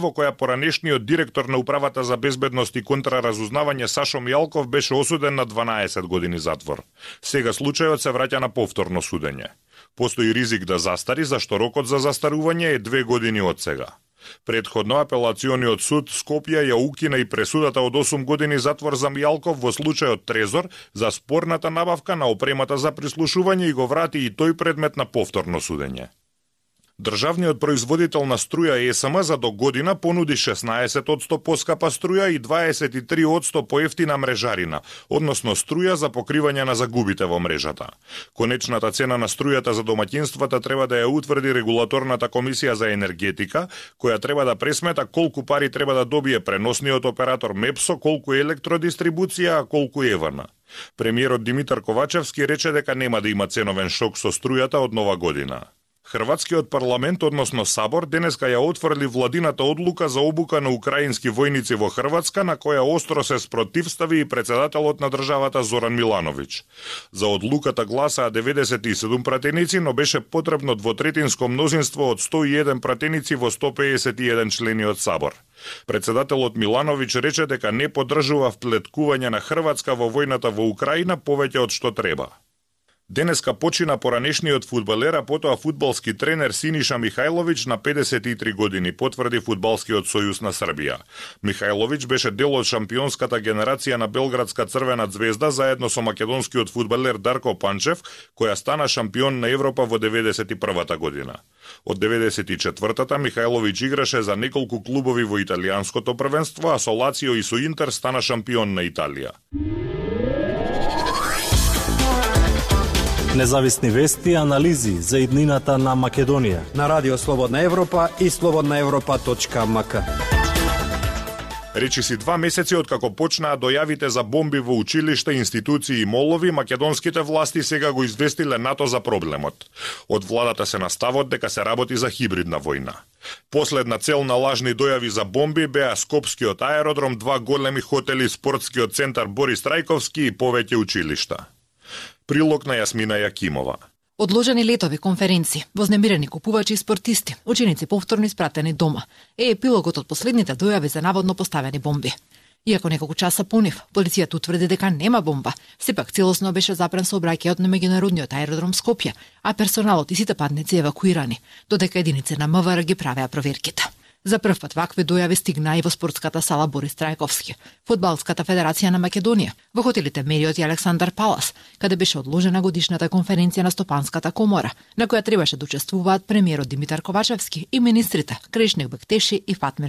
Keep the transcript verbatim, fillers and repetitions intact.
во која поранешниот директор на Управата за безбедност и контраразузнавање Сашо Мијалков беше осуден на дванаесет години затвор. Сега случајот се враќа на повторно судење. Постои ризик да застари, зашто рокот за застарување е две години од сега. Предходно апелациониот суд Скопје ја укина и пресудата од осум години затвор за Мијалков во случајот Трезор за спорната набавка на опремата за прислушување и го врати и тој предмет на повторно судење. Државниот производител на струја Е С М за до година понуди шеснаесет одсто поскапа струја и дваесет и три одсто поевтина мрежарина, односно струја за покривање на загубите во мрежата. Конечната цена на струјата за домаќинствата треба да ја утврди регулаторната комисија за енергетика, која треба да пресмета колку пари треба да добие преносниот оператор Мепсо, колку електродистрибуција, а колку Е В Н. Премиерот Димитар Ковачевски рече дека нема да има ценовен шок со струјата од нова година. Хрватскиот парламент, односно Сабор, денеска ја отфрли владината одлука за обука на украински војници во Хрватска, на која остро се спротивстави и председателот на државата Зоран Милановиќ. За одлуката гласаа деветдесет и седум пратеници, но беше потребно двотретинско мнозинство од сто и еден пратеници во сто пеесет и еден члени од Сабор. Председателот Милановиќ рече дека не поддржува вплеткување на Хрватска во војната во Украина повеќе од што треба. Денеска почина поранешниот фудбалер, а потоа фудбалски тренер Синиша Михајловиќ на педесет и три години, потврди Фудбалскиот сојуз на Србија. Михајловиќ беше дел од шампионската генерација на Белградска Црвена звезда заедно со македонскиот фудбалер Дарко Панчев, која стана шампион на Европа во деветдесет и првата година. Од деветдесет и четвртата Михајловиќ играше за неколку клубови во италијанското првенство, а со Лацио и со Интер стана шампион на Италија. Независни вести и анализи за иднината на Македонија на Радио Слободна Европа и слободна европа точка ем ка. Речиси два месеци откако почнаа дојавите за бомби во училишта, институции и молови, македонските власти сега го известиле НАТО за проблемот. Од владата се наставот дека се работи за хибридна војна. Последна цел на лажни дојави за бомби беа Скопскиот аеродром, два големи хотели, спортскиот центар Борис Трајковски и повеќе училишта. Прилог на Јасмина Јакимова. Одложени летови, конференции, вознемирени купувачи и спортисти, ученици повторно испратени дома, е епилогот од последните дојави за наводно поставени бомби. Иако неколку часа понив, полицијата утврди дека нема бомба, сепак целосно беше запрен сообраќајот на меѓународниот аеродром Скопје, а персоналот и сите патници евакуирани, додека единици на М В Р ги правеа проверките. За прв пат вакви дојави стигнаа и во спортската сала Борис Трајковски, Фудбалската федерација на Македонија, во хотелите Мериот и Александар Палас, каде беше одложена годишната конференција на Стопанската комора, на која требаше да учествуваат премиерот Димитар Ковачевски и министрите Кришник Бектеши и Фатмир